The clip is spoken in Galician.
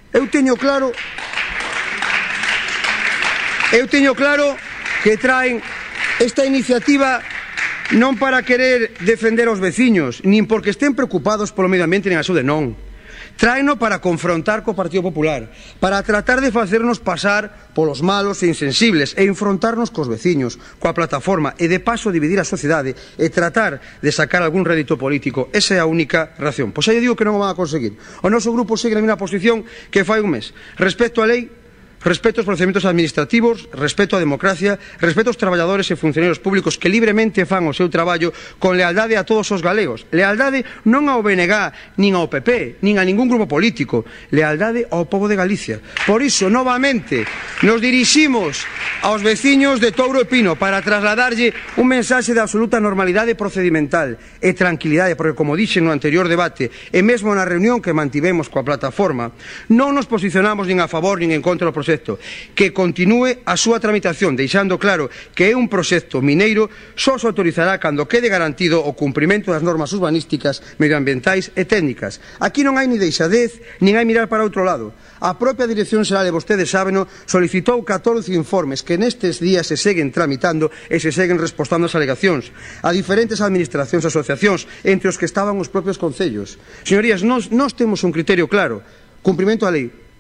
Eu teño claro que traen esta iniciativa non para querer defender aos veciños, nin porque estén preocupados polo medio ambiente nin a saúde, non. Tráeno para confrontar co Partido Popular, para tratar de facernos pasar polos malos e insensibles e enfrontarnos cos veciños, coa plataforma e de paso dividir a sociedade e tratar de sacar algún rédito político. Esa é a única razón. Pois xa lle digo que non o van a conseguir. O noso grupo segue na mesma posición que fai un mes. Respecto á lei, respeto aos procedimentos administrativos, respeto á democracia, respeto aos traballadores e funcionarios públicos que libremente fan o seu traballo con lealdade a todos os galegos. Lealdade non ao BNG, nin ao PP, nin a ningún grupo político. Lealdade ao pobo de Galicia. Por iso, novamente, nos diriximos aos veciños de Touro e Pino para trasladarlle un mensaxe de absoluta normalidade procedimental e tranquilidade, porque, como dixen no anterior debate e mesmo na reunión que mantivemos coa plataforma, non nos posicionamos nin a favor nin en contra do proxecto, que continúe a súa tramitación, deixando claro que é un proxecto mineiro, só se autorizará cando quede garantido o cumprimento das normas urbanísticas, medioambientais e técnicas. Aquí non hai ni deixadez, nin hai mirar para outro lado. A propia Dirección Xeral, e vostedes sábeno, solicitou 14 informes que nestes días se seguen tramitando e se seguen respostando as alegacións a diferentes administracións e asociacións, entre os que estaban os propios concellos. Señorías, nós temos un criterio claro: cumprimento á lei.